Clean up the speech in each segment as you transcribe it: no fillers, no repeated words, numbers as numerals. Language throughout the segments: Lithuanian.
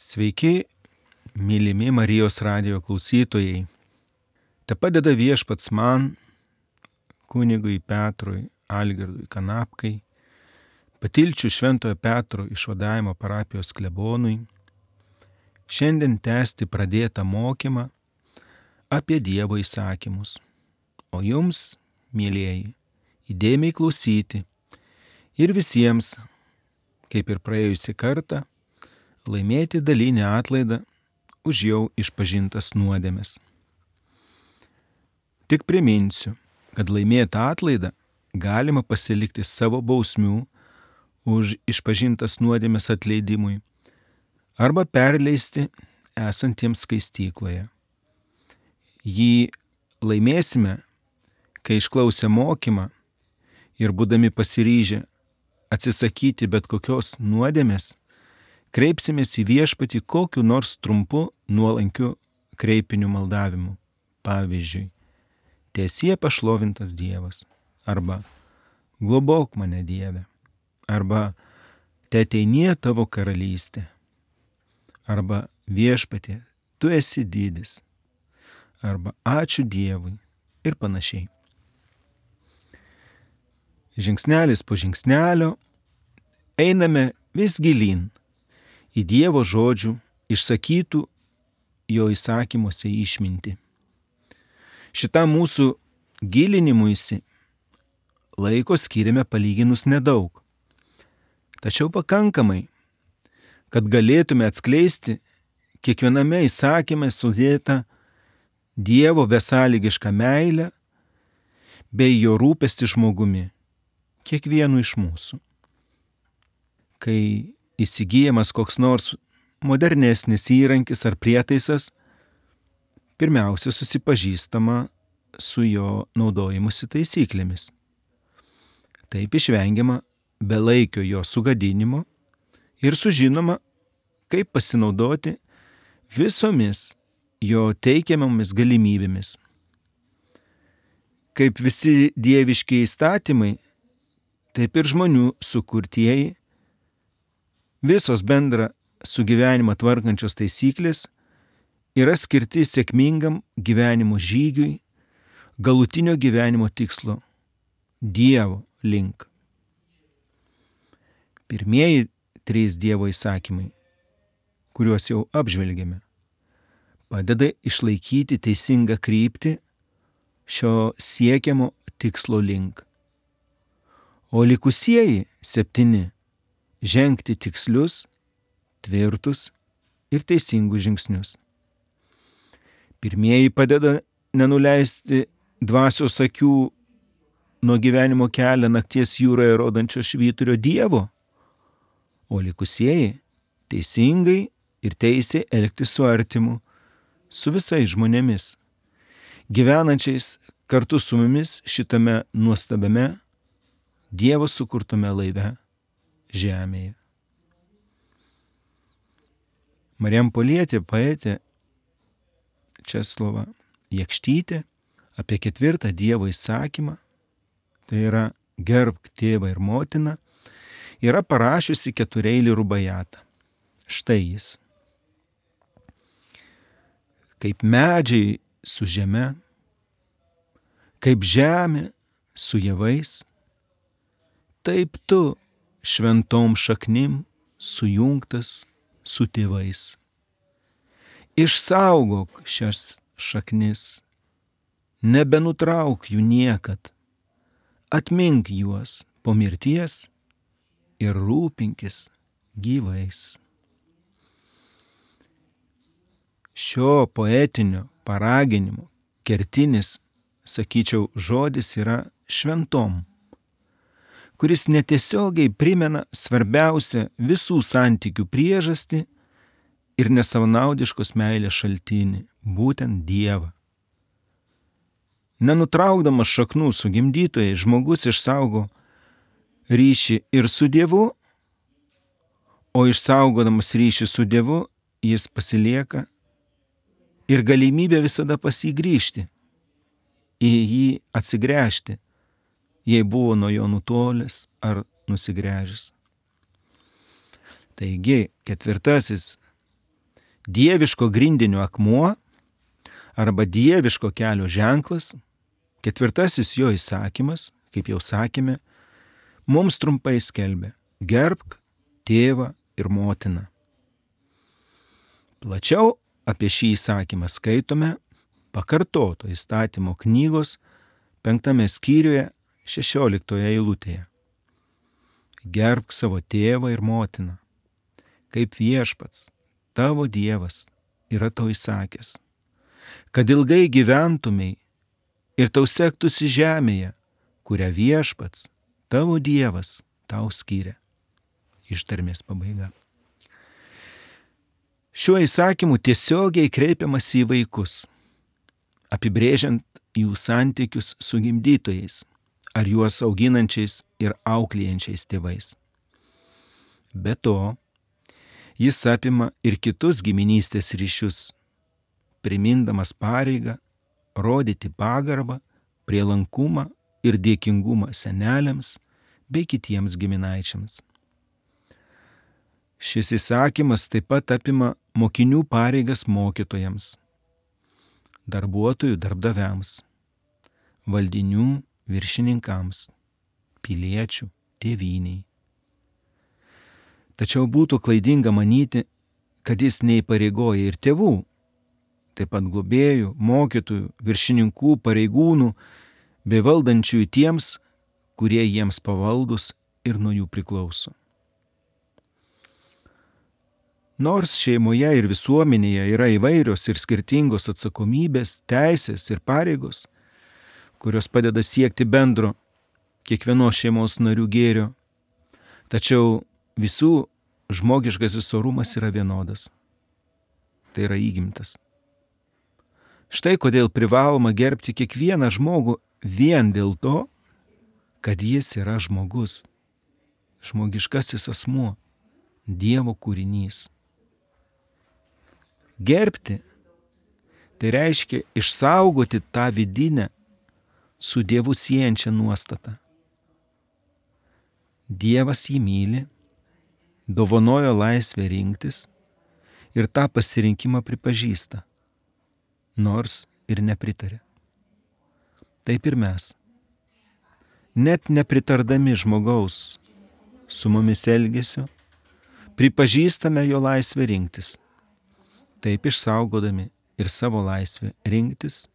Sveiki, mylimi Marijos radijo klausytojai. Te padeda Viešpats man, kunigui Petrui Algirdui Kanapkai, Patilčių Šventojo Petro išvadavimo parapijos klebonui, šiandien tęsti pradėtą mokymą apie Dievo įsakymus. O jums, mylieji, įdėmiai klausyti ir visiems, kaip ir praėjusį kartą, laimėti dalinį atlaidą už jau išpažintas nuodėmes. Tik priminsiu, kad laimėtą atlaidą galima pasilikti savo bausmių už išpažintas nuodėmes atleidimui arba perleisti esantiems skaistykloje. Jį laimėsime, kai išklausę mokymą ir būdami pasiryžę atsisakyti bet kokios nuodėmės, kreipsimės į Viešpatį kokiu nors trumpu nuolankiu kreipiniu maldavimu. Pavyzdžiui, tiesie pašlovintas Dievas, arba globok mane Dieve, arba teateinie tavo karalystė, arba Viešpatie, tu esi didis, arba ačiū Dievui ir panašiai. Žingsnelis po žingsnelio einame vis gilyn į Dievo žodžių išsakytų jo įsakymuose išmintį. Šitam mūsų gilinimuisi laiko skiriame palyginus nedaug, tačiau pakankamai, kad galėtume atskleisti kiekviename įsakyme sudėtą Dievo besąlygišką meilę bei jo rūpestį žmogumi, kiekvienu iš mūsų. Kai įsigyjamas koks nors modernesnis įrankis ar prietaisas, pirmiausia susipažįstama su jo naudojimusi taisyklėmis. Taip išvengiama belaikio jo sugadinimo ir sužinoma, kaip pasinaudoti visomis jo teikiamomis galimybėmis. Kaip visi dieviški įstatymai, taip ir žmonių sukurtieji, visos bendra su gyvenimą tvarkančios taisyklės yra skirti sėkmingam gyvenimo žygiui, galutinio gyvenimo tikslo – Dievo link. Pirmieji 3 Dievo įsakymai, kuriuos jau apžvelgėme, padeda išlaikyti teisingą kryptį šio siekiamo tikslo link. O likusieji 7 žengti tikslius, tvirtus ir teisingus žingsnius. Pirmieji padeda nenuleisti dvasios akių nuo gyvenimo kelią nakties jūroje rodančio švyturio Dievo, o likusieji teisingai ir teisiai elgtis su artimu, su visais žmonėmis, gyvenančiais kartu su mumis šitame nuostabiame Dievo sukurtame laive žemėje. Marijampolietė poetė Česlova Jakštytė apie 4 Dievo įsakymą, tai yra gerbk tėvą ir motiną, yra parašiusi 4-eilį rubajatą. Štai jis. Kaip medžiai su žeme, kaip žemė su javais, taip tu šventom šaknim sujungtas su tėvais. Išsaugok šias šaknis, nebenutrauk jų niekad, atmink juos po mirties ir rūpinkis gyvais. Šio poetinio paraginimo kertinis, sakyčiau, žodis yra šventom, kuris netiesiogiai primena svarbiausią visų santykių priežastį ir nesavanaudiškos meilės šaltinį, būtent Dievą. Nenutraukdamas šaknų su gimdytojai, žmogus išsaugo ryšį ir su Dievu, o išsaugodamas ryšį su Dievu, jis pasilieka ir galimybė visada pas jį grįžti, į jį atsigręžti, jei buvo nuo jo nutolęs ar nusigręžęs. Taigi, 4 dieviško grindinio akmuo arba dieviško kelio ženklas, 4 jo įsakymas, kaip jau sakėme, mums trumpai skelbia: gerbk tėvą ir motiną. Plačiau apie šį įsakymą skaitome Pakartoto įstatymo knygos 5 skyriuje 16 eilutėje. Gerbk savo tėvą ir motiną, kaip Viešpats, tavo Dievas, yra tau įsakęs, kad ilgai gyventumei ir tau sektųsi žemėje, kurią Viešpats, tavo Dievas, tau skyrė. Ištarmės pabaiga. Šiuo įsakymu tiesiogiai kreipiamas į vaikus, apibrėžiant jų santykius su gimdytojais ar juos auginančiais ir auklėjančiais tėvais. Be to, jis apima ir kitus giminystės ryšius, primindamas pareigą rodyti pagarbą, prielankumą ir dėkingumą seneliams bei kitiems giminaičiams. Šis įsakymas taip pat apima mokinių pareigas mokytojams, darbuotojų darbdaviams, valdinių viršininkams, piliečių tėvynei. Tačiau būtų klaidinga manyti, kad jis neįpareigoja ir tėvų, taip pat globėjų, mokytojų, viršininkų, pareigūnų bei valdančiųjų tiems, kurie jiems pavaldus ir nuo jų priklauso. Nors šeimoje ir visuomenėje yra įvairios ir skirtingos atsakomybės, teisės ir pareigos, kurios padeda siekti bendro kiekvienos šeimos narių gėrio, tačiau visų žmogiškasis orumas yra vienodas. Tai yra įgimtas. Štai kodėl privaloma gerbti kiekvieną žmogų vien dėl to, kad jis yra žmogus, žmogiškasis asmuo, Dievo kūrinys. Gerbti tai reiškia išsaugoti tą vidinę su Dievu siejančią nuostatą. Dievas jį myli, dovanojo laisvę rinktis ir tą pasirinkimą pripažįsta, nors ir nepritarė. Taip ir mes, net nepritardami žmogaus su mumis elgesiu, pripažįstame jo laisvę rinktis, taip išsaugodami ir savo laisvę rinktis,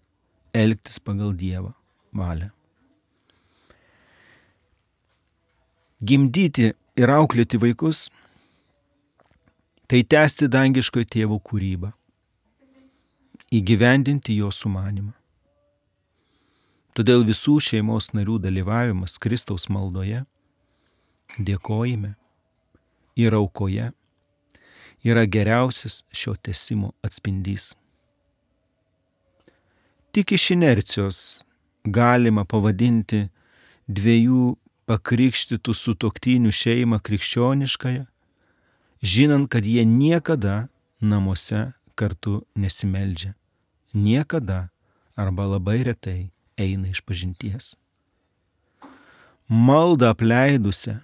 elgtis pagal Dievo valią. Gimdyti ir auklėti vaikus – tai tęsti dangiškojo tėvo kūrybą, įgyvendinti jo sumanimą. Todėl visų šeimos narių dalyvavimas Kristaus maldoje, dėkojime ir aukoje yra geriausias šio tęsimo atspindys. Tik iš inercijos galima pavadinti 2 pakrikštytų sutuoktinių šeimą krikščioniškąją, žinant, kad jie niekada namuose kartu nesimeldžia, niekada arba labai retai eina išpažinties. Maldą apleidusią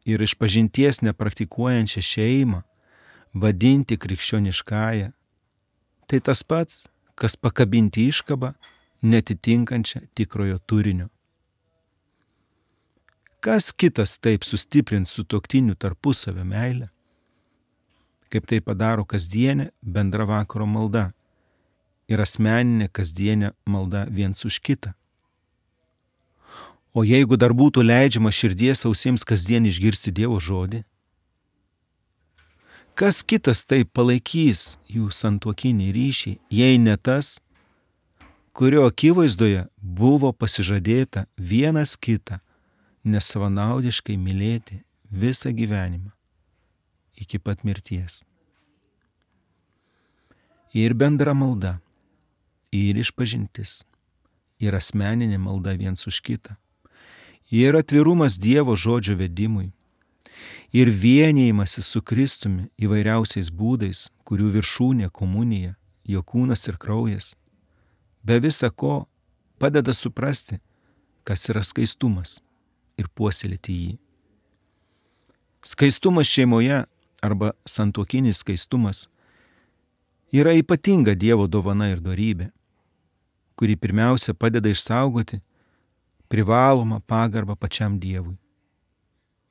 ir išpažinties nepraktikuojančią šeimą vadinti krikščioniškąją, tai tas pats, kas pakabinti iškabą netitinkančią tikrojo turinio. Kas kitas taip sustiprins sutuoktinių tarpusavio meilę, kaip tai padaro kasdienė bendra vakaro malda ir asmeninė kasdienė malda viens už kitą. O jeigu dar būtų leidžiama širdies ausims kasdien išgirsti Dievo žodį, kas kitas taip palaikys jų santuokinį ryšį, jei ne tas, kurio akivaizdoje buvo pasižadėta vienas kitą nesavanaudiškai mylėti visą gyvenimą iki pat mirties. Ir bendra malda, ir išpažintis, ir asmeninė malda viens už kitą, ir atvirumas Dievo žodžio vedimui, ir vienijimasis su Kristumi įvairiausiais būdais, kurių viršūnė komunija, jo kūnas ir kraujas, be visa ko padeda suprasti, kas yra skaistumas ir puoselėti jį. Skaistumas šeimoje arba santuokinis skaistumas yra ypatinga Dievo dovana ir dorybė, kuri pirmiausia padeda išsaugoti privalomą pagarbą pačiam Dievui,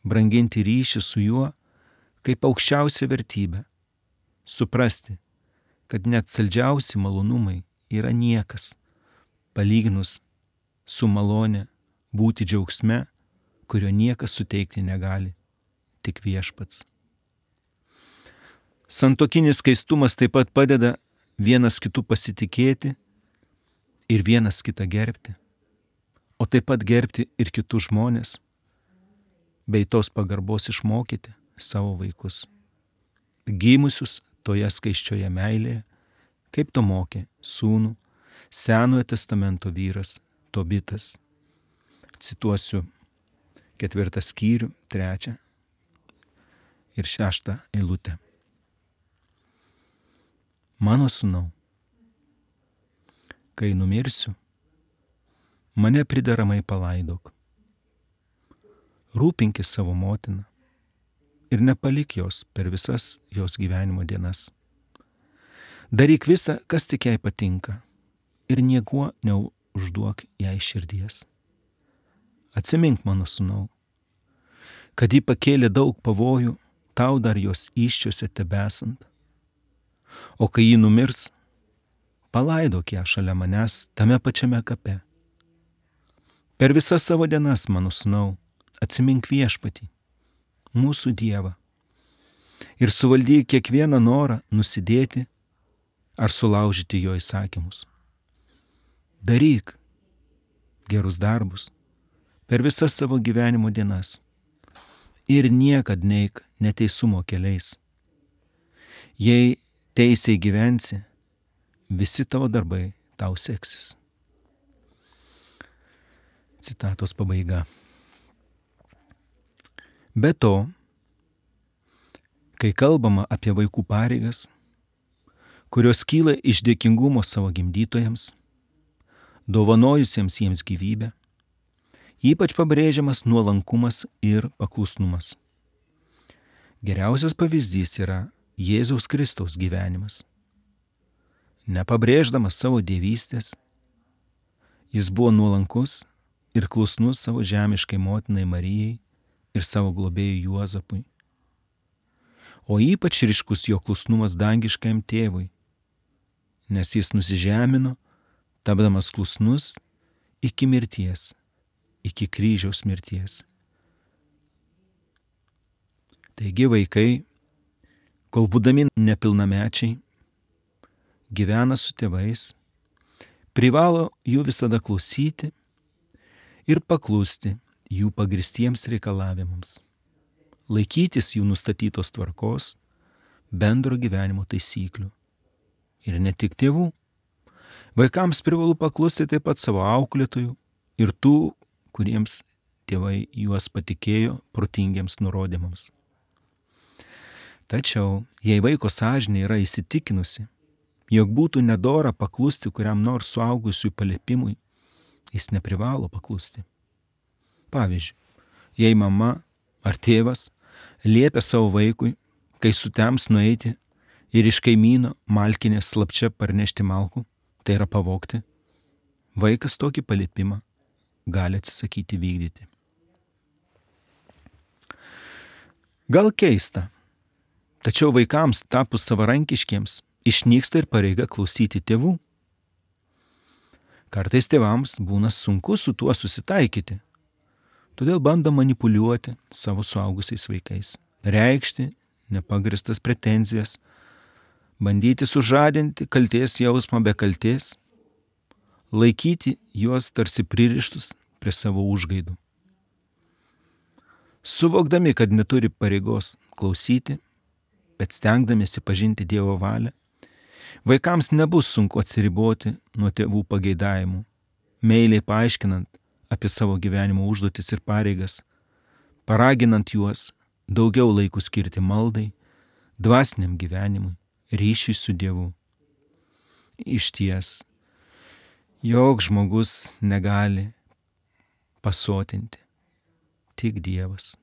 branginti ryšį su juo kaip aukščiausia vertybė, suprasti, kad net saldžiausi malonumai yra niekas, palyginus su malonė būti džiaugsme, kurio niekas suteikti negali, tik Viešpats. Santuokinis skaistumas taip pat padeda vienas kitų pasitikėti ir vienas kitą gerbti, o taip pat gerbti ir kitus žmonės, bei tos pagarbos išmokyti savo vaikus, gimusius toje skaisčioje meilėje, kaip to mokė sūnų Senojo testamento vyras Tobitas. Cituosiu 4 skyrių, 3 ir 6 eilutę. Mano sūnau, kai numirsiu, mane prideramai palaidok. Rūpinkis savo motiną ir nepalik jos per visas jos gyvenimo dienas. Daryk visą, kas tik jai patinka, ir niekuo neužduok jai širdies. Atsimink, mano sūnau, kad ji pakėlė daug pavojų, tau dar jos įsčiose tebesant. O kai ji numirs, palaidok ją šalia manęs tame pačiame kape. Per visas savo dienas, mano sūnau, atsimink Viešpatį, mūsų Dievą, ir suvaldyk kiekvieną norą nusidėti ar sulaužyti jo įsakymus. Daryk gerus darbus per visas savo gyvenimo dienas ir niekad neik neteisumo keliais. Jei teisiai gyvensi, visi tavo darbai tau seksis. Citatos pabaiga. Be to, kai kalbama apie vaikų pareigas, kurios kyla iš dėkingumo savo gimdytojams, dovanojusiems jiems gyvybę, ypač pabrėžiamas nuolankumas ir paklusnumas. Geriausias pavyzdys yra Jėzaus Kristaus gyvenimas. Nepabrėždamas savo dievystės, jis buvo nuolankus ir klusnus savo žemiškai motinai Marijai ir savo globėjui Juozapui. O ypač ryškus jo klusnumas dangiškajam tėvui, nes jis nusižemino, tapdamas klusnus iki mirties, iki kryžiaus mirties. Taigi vaikai, kol būdami nepilnamečiai, gyvena su tėvais, privalo jų visada klausyti ir paklusti jų pagristiems reikalavimams, laikytis jų nustatytos tvarkos, bendro gyvenimo taisyklių. Ir ne tik tėvų. Vaikams privalu paklusti taip pat savo auklėtojų ir tų, kuriems tėvai juos patikėjo protingiems nurodymams. Tačiau, jei vaiko sąžinė yra įsitikinusi, jog būtų nedora paklusti kuriam nors suaugusiųjų paliepimui, jis neprivalo paklusti. Pavyzdžiui, jei mama ar tėvas liepia savo vaikui, kai sutems nueiti ir iš kaimyno malkinės slapčia parnešti malkų, tai yra pavogti, vaikas tokį paliepimą gali atsisakyti vykdyti. Gal keista, tačiau vaikams tapus savarankiškiems išnyksta ir pareiga klausyti tėvų. Kartais tėvams būna sunku su tuo susitaikyti, todėl bando manipuliuoti savo suaugusiais vaikais, reikšti nepagristas pretenzijas, bandyti sužadinti kaltės jausmą be kaltės, laikyti juos tarsi pririštus prie savo užgaidų. Suvokdami, kad neturi pareigos klausyti, bet stengdamiesi pažinti Dievo valią, vaikams nebus sunku atsiriboti nuo tėvų pageidavimų, meiliai paaiškinant apie savo gyvenimo užduotis ir pareigas, paraginant juos daugiau laikų skirti maldai, dvasiniam gyvenimui, ryšiui su Dievu. Išties, joks žmogus negali pasotinti, tik Dievas.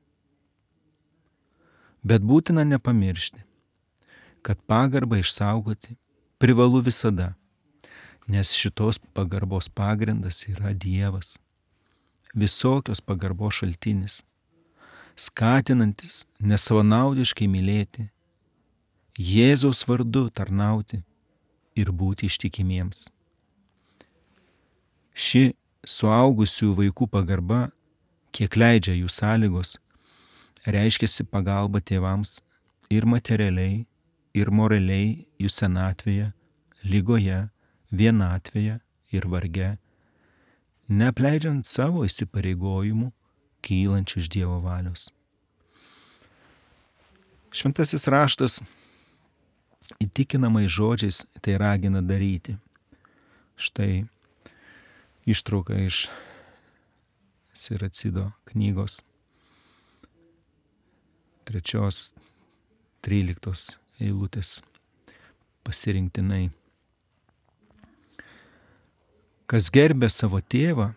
Bet būtina nepamiršti, kad pagarbą išsaugoti privalu visada, nes šitos pagarbos pagrindas yra Dievas, visokios pagarbos šaltinis, skatinantis nesavanaudiškai mylėti, Jėzaus vardu tarnauti ir būti ištikimiems. Ši suaugusių vaikų pagarba, kiek leidžia jų sąlygos, reiškiasi pagalba tėvams ir materialiai, ir moraliai jų senatvėje, ligoje, vienatvėje ir varge, neapleidžiant savo įsipareigojimų, kylančių iš Dievo valios. Šventasis raštas įtikinamai žodžiais tai ragina daryti. Štai ištrauka iš Siracido knygos 3-13 eilutės pasirinktinai. Kas gerbė savo tėvą,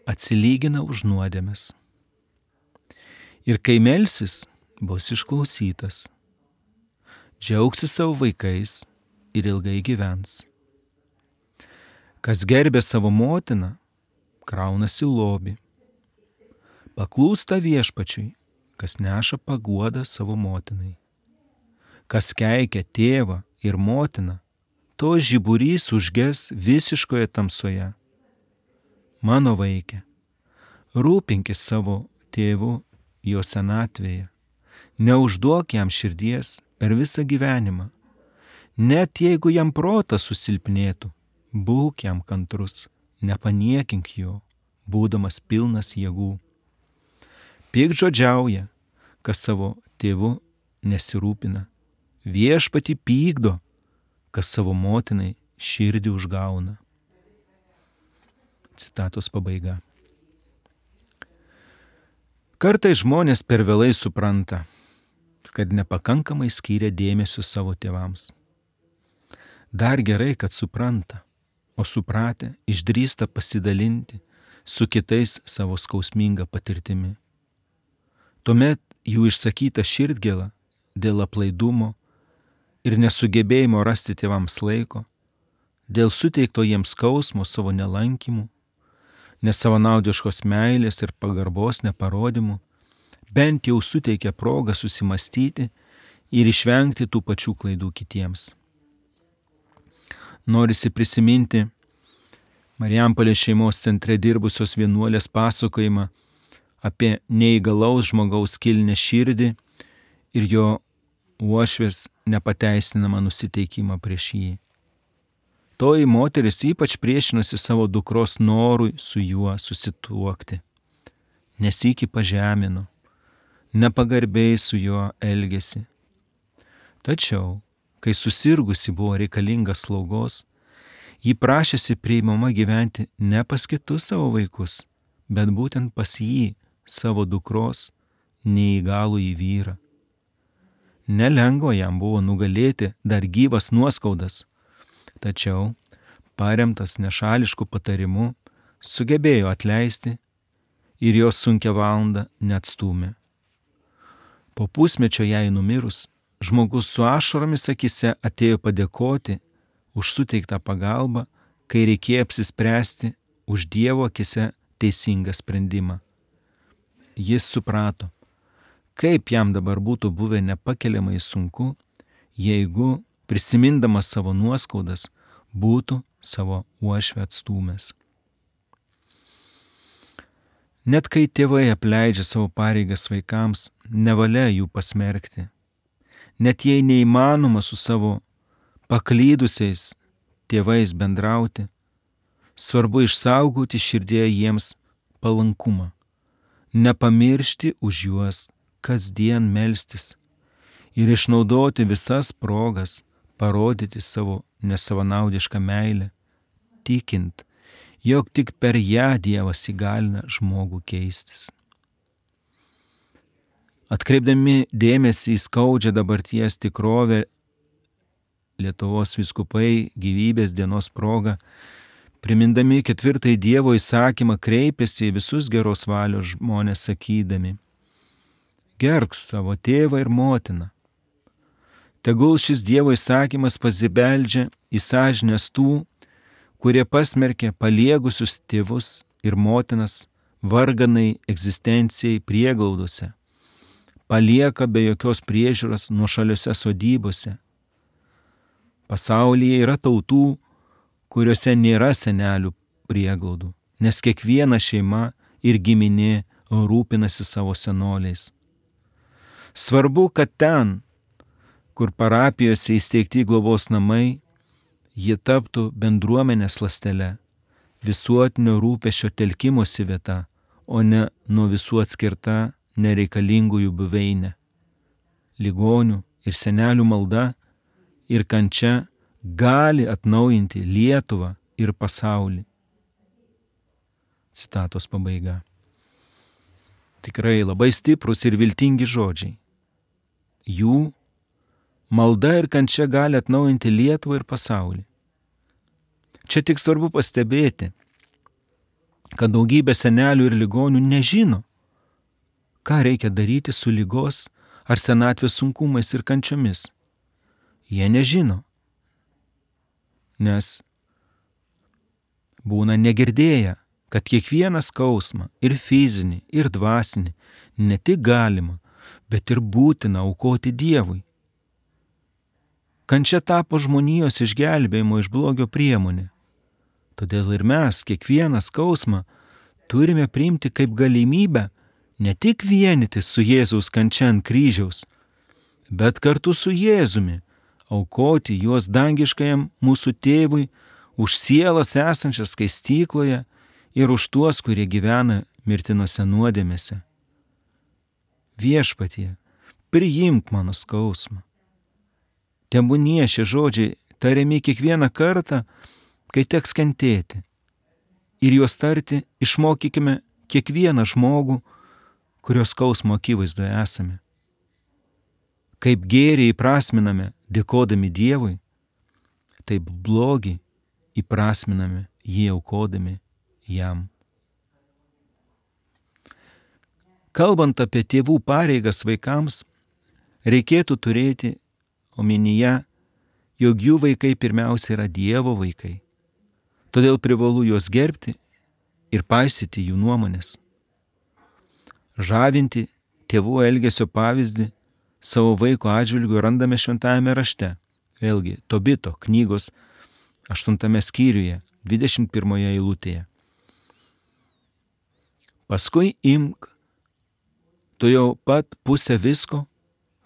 atsilygina už nuodėmes. Ir kai melsis, bus išklausytas. Džiaugsis savo vaikais ir ilgai gyvens. Kas gerbė savo motiną, kraunasi lobį. Paklūsta viešpačiui, kas neša paguodą savo motinai. Kas keikia tėvą ir motiną, to žiburys užges visiškoje tamsoje. Mano vaike, rūpinkis savo tėvu jo senatvėje. Neužduok jam širdies per visą gyvenimą. Net jeigu jam protas susilpnėtų, būk jam kantrus, nepaniekink jo, būdamas pilnas jėgų. Piktžodžiauja, kas savo tėvu nesirūpina. Viešpatį pykdo, kas savo motinai širdį užgauna. Citatos pabaiga. Kartais žmonės per vėlai supranta, kad nepakankamai skyrė dėmesio savo tėvams. Dar gerai, kad supranta, o supratę išdrįsta pasidalinti su kitais savo skausminga patirtimi. Tuomet jų išsakyta širdgėla dėl aplaidumo ir nesugebėjimo rasti tėvams laiko, dėl suteikto jiems skausmo savo nelankymų, nesavanaudiškos meilės ir pagarbos neparodymų, bent jau suteikia progą susimastyti ir išvengti tų pačių klaidų kitiems. Norisi prisiminti Marijampolės šeimos centre dirbusios vienuolės pasakojimą apie neįgalaus žmogaus kilnią širdį ir jo uošvės nepateisinamą nusiteikimą prieš jį. Toji moteris ypač priešinosi savo dukros norui su juo susituokti. Nesykį pažemino, nepagarbiai su juo elgėsi. Tačiau, kai susirgusi buvo reikalinga slaugos, ji prašėsi priimama gyventi ne pas kitus savo vaikus, bet būtent pas jį, savo dukros, neįgalųjį vyrą. Nelengva jam buvo nugalėti dar gyvas nuoskaudas, tačiau, paremtas nešališku patarimu, sugebėjo atleisti ir jos sunkią valandą neatstūmė. Po pusmečio jai numirus, žmogus su ašaromis akise atėjo padėkoti už suteiktą pagalbą, kai reikėjo apsispręsti už Dievo akise teisingą sprendimą. Jis suprato, kaip jam dabar būtų buvę nepakeliamai sunku, jeigu, prisimindamas savo nuoskaudas, būtų savo uošvę atstūmęs. Net kai tėvai apleidžia savo pareigas vaikams, nevalia jų pasmerkti. Net jei neįmanoma su savo paklydusiais tėvais bendrauti, svarbu išsaugoti širdėje jiems palankumą, nepamiršti už juos kasdien melstis ir išnaudoti visas progas parodyti savo nesavanaudišką meilę, tikint, jog tik per ją Dievas įgalina žmogų keistis. Atkreipdami dėmesį į skaudžią dabarties tikrovę, Lietuvos vyskupai gyvybės dienos proga, primindami 4 Dievo įsakymą, kreipėsi į visus geros valios žmonės sakydami: gerbk savo tėvą ir motiną. Tegul šis Dievo įsakymas pasibeldžia į sąžines tų, kurie pasmerkė paliegusius tėvus ir motinas varganai egzistencijai prieglaudose, palieka be jokios priežiūros nuošaliuose sodybose. Pasaulyje yra tautų, kuriuose nėra senelių prieglaudų, nes kiekviena šeima ir giminė rūpinasi savo senoliais. Svarbu, kad ten, kur parapijose įsteigti globos namai, jie taptų bendruomenės ląstele, visuotinio rūpesčio telkimosi vieta, o ne nuo visų atskirta nereikalingųjų buveinė. Ligonių ir senelių malda ir kančia gali atnaujinti Lietuvą ir pasaulį. Citatos pabaiga. Tikrai labai stiprus ir viltingi žodžiai. Jų malda ir kančia gali atnaujinti Lietuvą ir pasaulį. Čia tik svarbu pastebėti, kad daugybė senelių ir ligonių nežino, ką reikia daryti su ligos ar senatvės sunkumais ir kančiomis. Jie nežino, nes būna negirdėję, kad kiekvieną skausmą ir fizinį, ir dvasinį ne tik galima, bet ir būtina aukoti Dievui. Kančia tapo žmonijos išgelbėjimo iš blogio priemonė. Todėl ir mes kiekvieną skausmą turime priimti kaip galimybę ne tik vienytis su Jėzaus kančia ant kryžiaus, bet kartu su Jėzumi aukoti juos dangiškajam mūsų tėvui už sielas esančias skaistykloje ir už tuos, kurie gyvena mirtinose nuodėmėse. Viešpatie, priimk mano skausmą. Tebūnie šie žodžiai tariami kiekvieną kartą, kai teks kentėti. Ir juos tarti išmokykime kiekvieną žmogų, kurio skausmo akivaizdoje esame. Kaip gėrį įprasminame dėkodami Dievui, taip blogį įprasminame jį aukodami jam. Kalbant apie tėvų pareigas vaikams, reikėtų turėti omenyje, jog jų vaikai pirmiausia yra Dievo vaikai. Todėl privalu juos gerbti ir paisyti jų nuomonės. Žavinti tėvų elgesio pavyzdį savo vaiko atžvilgiu randame šventajame rašte. Vėlgi, Tobito knygos 8 skyriuje, 21 eilutėje. Paskui imk tu jau pat pusę visko,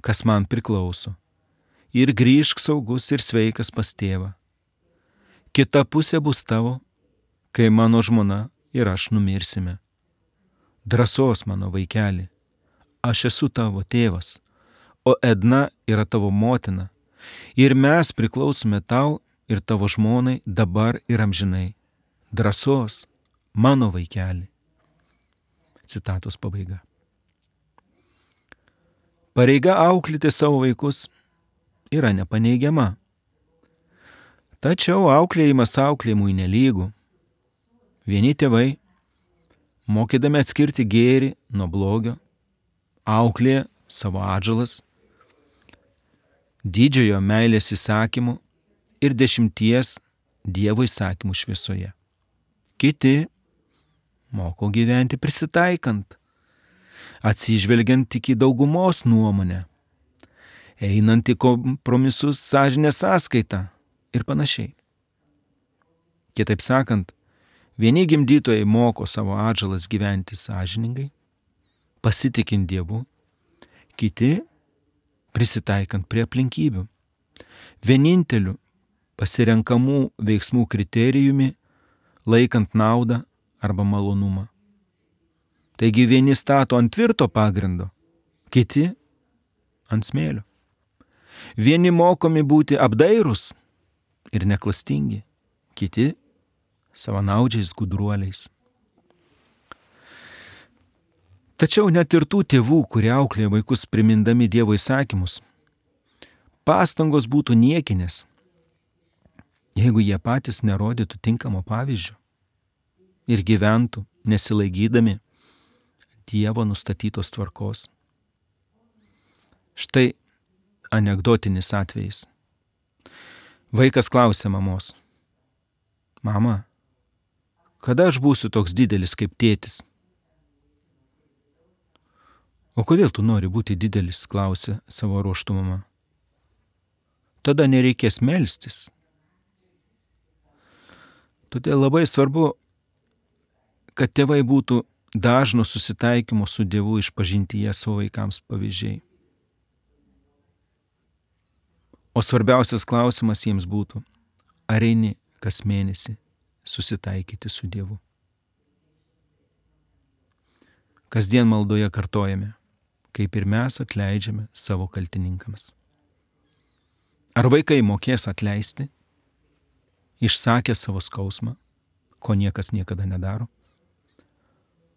kas man priklauso, ir grįžk saugus ir sveikas pas tėvą. Kita pusė bus tavo, kai mano žmona ir aš numirsime. Drąsos, mano vaikeli, aš esu tavo tėvas, o Edna yra tavo motina, ir mes priklausome tau ir tavo žmonai dabar ir amžinai. Drąsos, mano vaikeli. Citatos pabaiga. Pareiga auklėti savo vaikus yra nepaneigiama. Tačiau auklėjimas auklėjimui nelygų. Vieni tėvai, mokydami atskirti gėrį nuo blogio, auklėja savo atžalas didžiojo meilės įsakymų ir 10 Dievo įsakymų šviesoje. Kiti moko gyventi prisitaikant, atsižvelgiant tik į daugumos nuomonę, einant į kompromisus sąžinės sąskaitą ir panašiai. Kitaip sakant, vieni gimdytojai moko savo atžalas gyventi sąžiningai, pasitikint Dievu, kiti prisitaikant prie aplinkybių. Vieninteliu pasirenkamų veiksmų kriterijumi laikant naudą arba malonumą. Taigi vieni stato ant tvirto pagrindo, kiti ant smėlio. Vieni mokomi būti apdairūs ir neklastingi, kiti savanaudžiais gudruoliais. Tačiau net ir tų tėvų, kurie auklėja vaikus primindami Dievo įsakymus, pastangos būtų niekinės, jeigu jie patys nerodytų tinkamo pavyzdžio ir gyventų nesilaikydami Dievo nustatytos tvarkos. Štai anekdotinis atvejis. Vaikas klausė mamos: Mama, kada aš būsiu toks didelis kaip tėtis? O kodėl tu nori būti didelis, klausė savo ruožtu mama. Tada nereikės melstis. Todėl labai svarbu, kad tėvai būtų dažno susitaikymo su Dievu išpažintyje savo vaikams pavyzdžiai. O svarbiausias klausimas jiems būtų: ar eini kas mėnesį susitaikyti su Dievu? Kasdien maldoje kartojame: kaip ir mes atleidžiame savo kaltininkams. Ar vaikai mokės atleisti, išsakę savo skausmą, ko niekas niekada nedaro,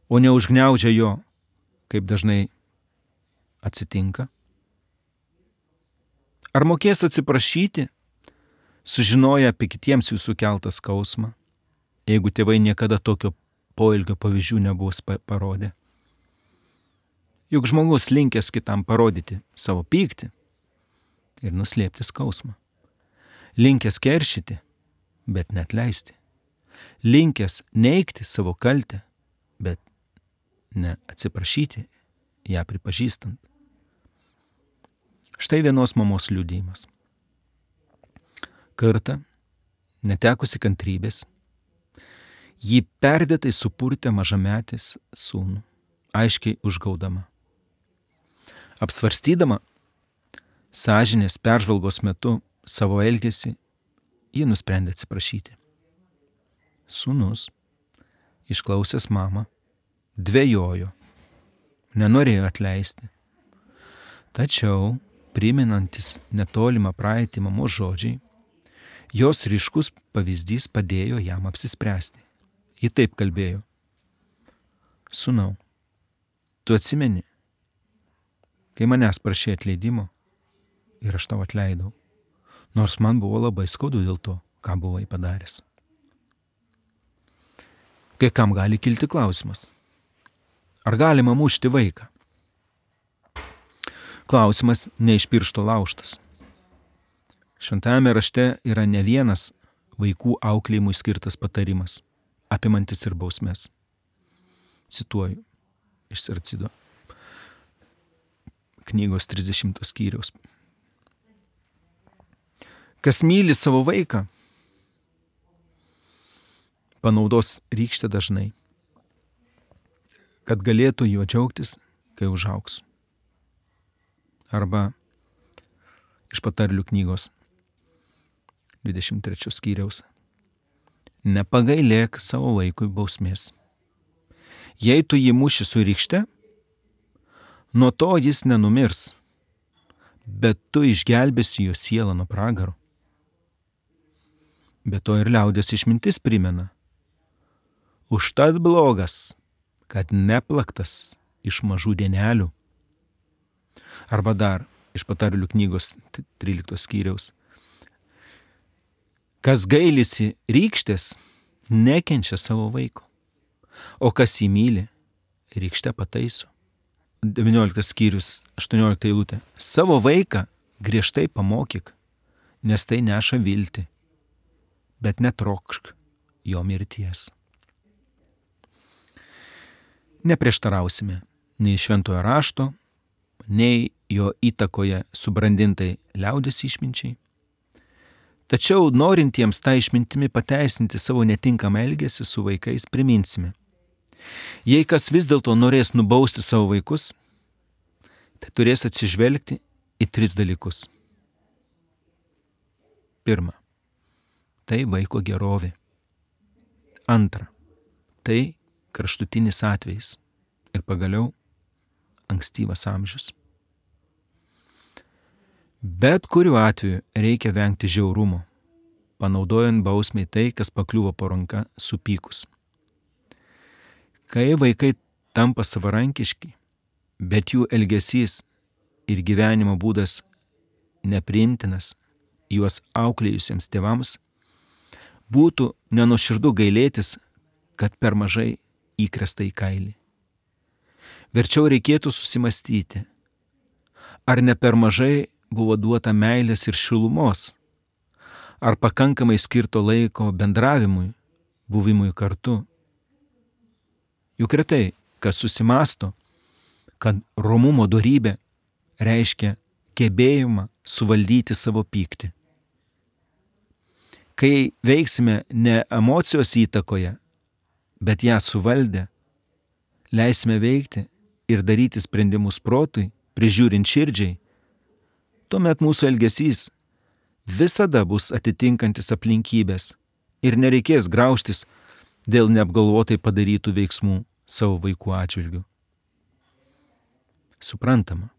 o neužgniaužia jo, kaip dažnai atsitinka? Ar mokės atsiprašyti, sužinoję apie kitiems jų sukeltą skausmą, jeigu tėvai niekada tokio poelgio pavyzdžių nebuvo parodę? Juk žmogus linkęs kitam parodyti savo pyktį ir nuslėpti skausmą. Linkęs keršyti, bet neatleisti. Linkęs neigti savo kaltę, bet ne atsiprašyti ją pripažįstant. Štai vienos mamos liudijimas. Kartą, netekusi kantrybės, ji perdėtai supurtė mažametis sūnų, aiškiai užgaudama. Apsvarstydama sąžinės peržvalgos metu savo elgesį, ji nusprendė atsiprašyti. Sūnus, išklausęs mamą, dvejojo, nenorėjo atleisti. Tačiau, priminantis netolimą praeitį mamos žodžiai, jos ryškus pavyzdys padėjo jam apsispręsti. Ji taip kalbėjo: Sūnau, tu atsimeni, kai manęs prašė atleidimo ir aš tau atleidau, nors man buvo labai skaudu dėl to, ką buvai padaręs. Kai kam gali kilti klausimas: ar galima mušti vaiką? Klausimas ne iš piršto laužtas. Šventajame rašte yra ne vienas vaikų auklėjimui skirtas patarimas, apimantis ir bausmes. Cituoju iš Sarcido knygos 30 skyriaus. Kas myli savo vaiką, panaudos rykštę dažnai, kad galėtų juo džiaugtis, kai užaugs. Arba iš Patarlių knygos 23 skyriaus. Nepagailėk savo vaikui bausmės. Jei tu jį muši su rykšte, nuo to jis nenumirs, bet tu išgelbėsi jo sielą nuo pragaro. Be to ir liaudės išmintis primena: užtat blogas, kad neplaktas iš mažų dienelių. Arba dar iš Patarlių knygos 13 skyriaus. Kas gailisi rykštės, nekenčia savo vaiko, o kas jį myli, rykšte pataiso. 19 skyrius, 18 eilutė. Savo vaiką griežtai pamokyk, nes tai neša viltį, bet netrokšk jo mirties. Neprieštarausime nei šventojo rašto, nei jo įtakoje subrandintai liaudės išminčiai. Tačiau norintiems tą išmintimi pateisinti savo netinkamą elgesį su vaikais priminsime: jei kas vis dėlto norės nubausti savo vaikus, tai turės atsižvelgti į 3 dalykus. Pirma, tai vaiko gerovė. Antra, tai kraštutinis atvejis. Ir pagaliau ankstyvas amžius. Bet kuriuo atveju reikia vengti žiaurumo, panaudojant bausmei tai, kas pakliuvo po ranka supykus. Kai vaikai tampa savarankiški, bet jų elgesys ir gyvenimo būdas nepriimtinas juos auklėjusiems tėvams, būtų nenuoširdu gailėtis, kad per mažai įkresta į kailį. Verčiau reikėtų susimastyti, ar ne per mažai buvo duota meilės ir šilumos? Ar pakankamai skirto laiko bendravimui, buvimui kartu? Juk retai, kas susimąsto, kad romumo dorybė reiškia gebėjimą suvaldyti savo pyktį. Kai veiksime ne emocijos įtakoje, bet ją suvaldę, leisime veikti ir daryti sprendimus protui, prižiūrint širdžiai, tuomet mūsų elgesys visada bus atitinkantis aplinkybės ir nereikės graužtis dėl neapgalvotai padarytų veiksmų savo vaikų atžvilgių. Suprantama,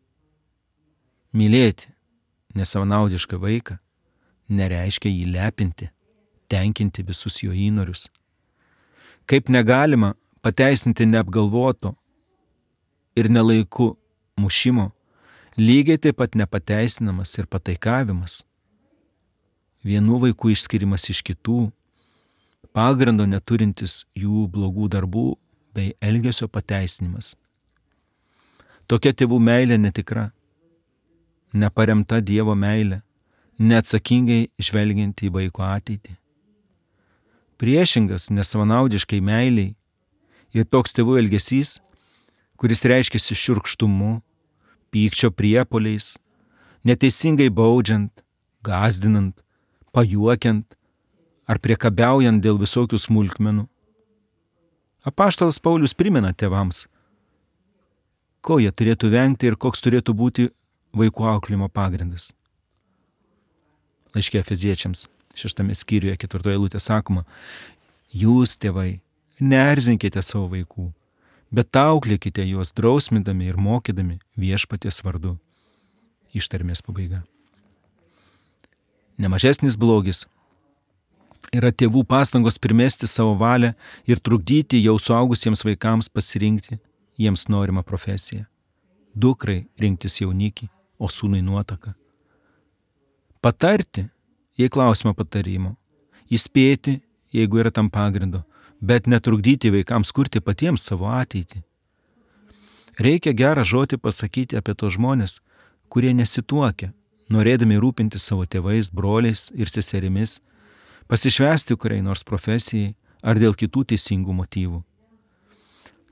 mylėti nesavanaudišką vaiką nereiškia jį lepinti, tenkinti visus jo įnorius. Kaip negalima pateisinti neapgalvoto ir nelaiku mušimo, lygiai taip pat nepateisinamas ir pataikavimas. Vienų vaikų išskirimas iš kitų, pagrindo neturintis jų blogų darbų bei elgesio pateisinimas. Tokia tėvų meilė netikra, neparemta Dievo meilė, neatsakingai žvelgiant į vaiko ateitį. Priešingas nesavanaudiškai meiliai ir toks tėvų elgesys, kuris reiškiasi šiurkštumu, pykčio priepuoliais, neteisingai baudžiant, gąsdinant, pajuokiant ar priekabiaujant dėl visokių smulkmenų. Apaštalas Paulius primena tėvams, ko jie turėtų vengti ir koks turėtų būti vaikų auklėjimo pagrindas. Laiške Efeziečiams 6 skyriuje 4 eilutė sakoma: jūs, tėvai, neerzinkite savo vaikų, bet auklėkite juos drausmindami ir mokydami viešpaties vardu. Ištarmės pabaiga. Nemažesnis blogis yra tėvų pastangos primesti savo valią ir trukdyti jau suaugusiems vaikams pasirinkti jiems norimą profesiją. Dukrai rinktis jaunikį, o sūnui nuotaką. Patarti, jei klausimo patarimo. Įspėti, jeigu yra tam pagrindo, bet netrukdyti vaikams kurti patiems savo ateitį. Reikia gerą žodį pasakyti apie tos žmonės, kurie nesituokia, norėdami rūpinti savo tėvais, broliais ir seserimis, pasišvęsti kuriai nors profesijai ar dėl kitų teisingų motyvų.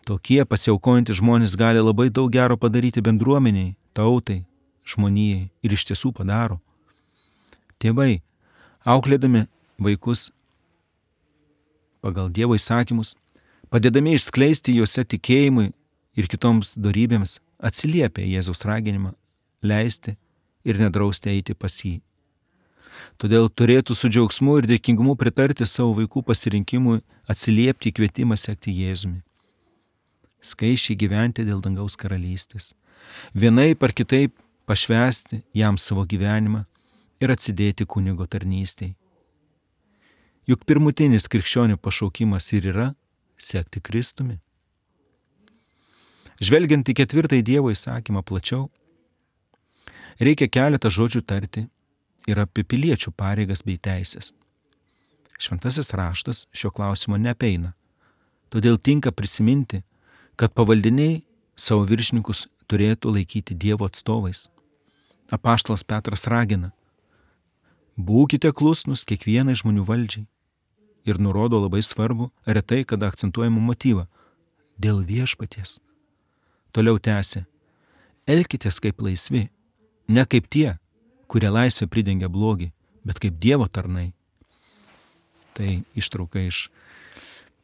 Tokie pasiaukojantys žmonės gali labai daug gero padaryti bendruomeniai, tautai, žmonijai ir iš tiesų padaro. Tėvai, auklėdami vaikus pagal Dievo įsakymus, padėdami išskleisti juose tikėjimui ir kitoms dorybėms, atsiliepia Jėzaus raginimą leisti ir nedrausti eiti pas jį. Todėl turėtų su džiaugsmu ir dėkingumu pritarti savo vaikų pasirinkimui atsiliepti į kvietimą sekti Jėzumi. Skaičiai gyventi dėl dangaus karalystės, vienaip ar kitaip pašvęsti jam savo gyvenimą ir atsidėti kunigo tarnystei. Juk pirmutinis krikščionių pašaukimas ir yra sekti Kristumi. Žvelgiant į 4 Dievo įsakymą plačiau, reikia keletą žodžių tarti ir apie piliečių pareigas bei teisės. Šventasis raštas šio klausimo neapeina, todėl tinka prisiminti, kad pavaldiniai savo viršininkus turėtų laikyti Dievo atstovais. Apaštalas Petras ragina: būkite klusnus kiekvienai žmonių valdžiai, ir nurodo labai svarbu, retai kada akcentuojamą motyvą – dėl viešpaties. Toliau tęsia: elkitės kaip laisvi, ne kaip tie, kurie laisvę pridengia blogį, bet kaip Dievo tarnai. Tai ištrauka iš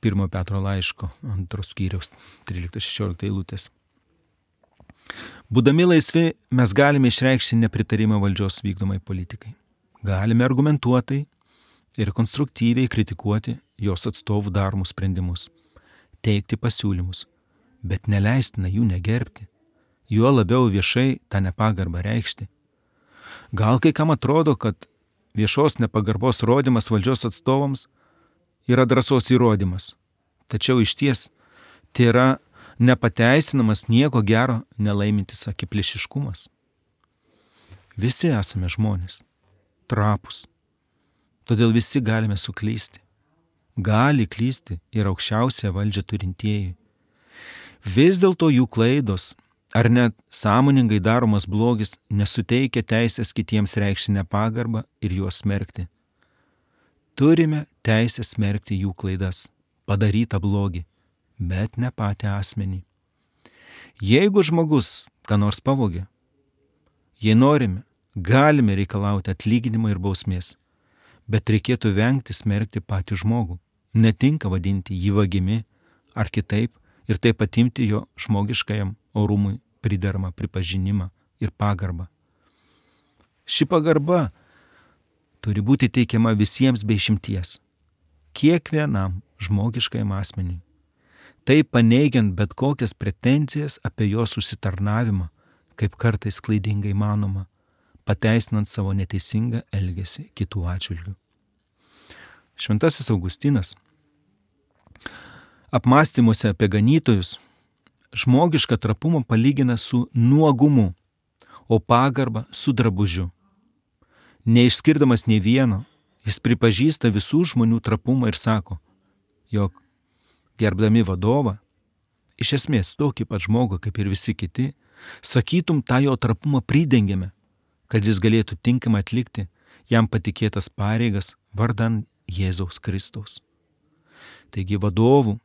1 Petro laiško 2 skyriaus 13-16 eilutės. Būdami laisvi, mes galime išreikšti nepritarimą valdžios vykdomai politikai. Galime argumentuotai ir konstruktyviai kritikuoti jos atstovų daromus sprendimus, teikti pasiūlymus, bet neleistina jų negerbti, juo labiau viešai tą nepagarbą reikšti. Gal kai kam atrodo, kad viešos nepagarbos rodymas valdžios atstovams yra drąsos įrodymas, tačiau iš ties tai yra nepateisinamas nieko gero nelaimintis akiplėšiškumas. Visi esame žmonės, trapūs, todėl visi galime suklysti. Gali klysti ir aukščiausią valdžią turintieji. Vis dėlto jų klaidos ar net sąmoningai daromas blogis nesuteikia teisės kitiems reikšti nepagarbą ir juos smerkti. Turime teisę smerkti jų klaidas, padarytą blogį, bet ne patį asmenį. Jeigu žmogus ką nors pavogė, jei norime, galime reikalauti atlyginimo ir bausmės, bet reikėtų vengti smerkti patį žmogų. Netinka vadinti jį vagimi ar kitaip ir taip atimti jo žmogiškajam orumui prideramą pripažinimą ir pagarbą. Ši pagarba turi būti teikiama visiems be išimties, kiekvienam žmogiškajam asmeniui. Tai paneigiant bet kokias pretenzijas apie jo susitarnavimą, kaip kartais klaidingai manoma, pateisinant savo neteisingą elgesį kitų atžvilgių. Šventasis Augustinas apmąstymuose apie ganytojus žmogišką trapumą palygina su nuogumu, o pagarbą su drabužiu. Neišskirdamas nei vieno, jis pripažįsta visų žmonių trapumą ir sako, jog gerbdami vadovą, iš esmės tokį pat žmogų kaip ir visi kiti, sakytum tą jo trapumą pridengiame, kad jis galėtų tinkamai atlikti jam patikėtas pareigas vardan Jėzaus Kristaus. Taigi vadovų,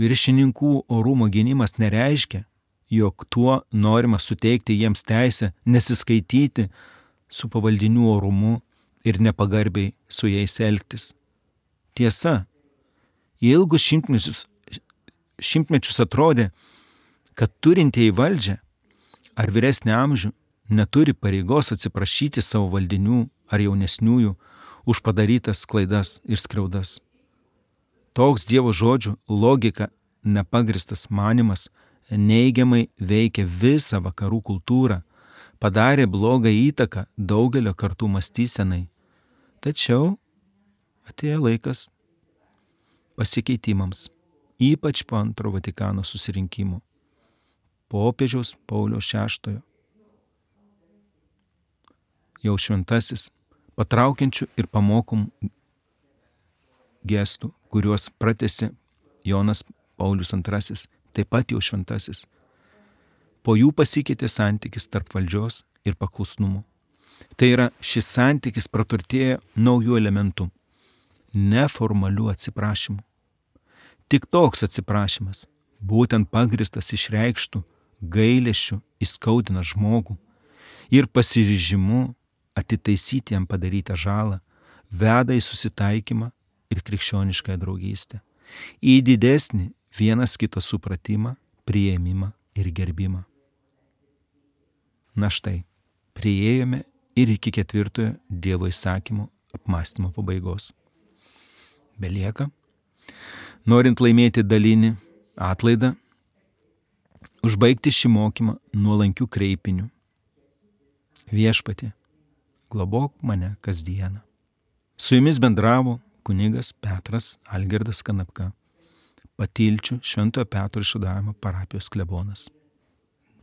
viršininkų orumo gynimas nereiškia, jog tuo norima suteikti jiems teisę nesiskaityti su pavaldinių orumu ir nepagarbiai su jais elgtis. Tiesa, ilgus šimtmečius atrodė, kad turintieji valdžią ar vyresnį amžių neturi pareigos atsiprašyti savo valdinių ar jaunesniųjų už padarytas klaidas ir skriaudas. Toks Dievo žodžių logika nepagristas manimas neigiamai veikia visą vakarų kultūrą, padarė blogą įtaką daugelio kartų mąstysenai. Tačiau atėjo laikas pasikeitimams, ypač po Antro Vatikano susirinkimo, popiežiaus Pauliaus VI. Jau šventasis, patraukiančių ir pamokomų gestų, kuriuos pratęsė Jonas Paulius II, taip pat jau šventasis. Po jų pasikeitė santykis tarp valdžios ir paklusnumo. Tai yra, šis santykis praturtėjo naujų elementų, neformalių atsiprašymų. Tik toks atsiprašymas, būtent pagristas išreikštų gailesčių, įskaudina žmogų ir pasiryžimu atitaisyti jam padarytą žalą, veda į susitaikymą ir krikščioniškąją draugystę, į didesnį vienas kito supratimą, priėmimą ir gerbimą. Na štai, priėjome ir iki 4 Dievo įsakymo apmąstymo pabaigos. Belieka, norint laimėti dalinį atlaidą, užbaigti šį mokymą nuolankių kreipinių. Viešpatie, globok mane kasdieną. Su jumis bendravo kunigas Petras Algirdas Kanapka, Patilčių Šventojo Petro Išvadavimo parapijos klebonas.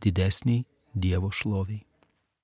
Didesniai Dievo šloviai.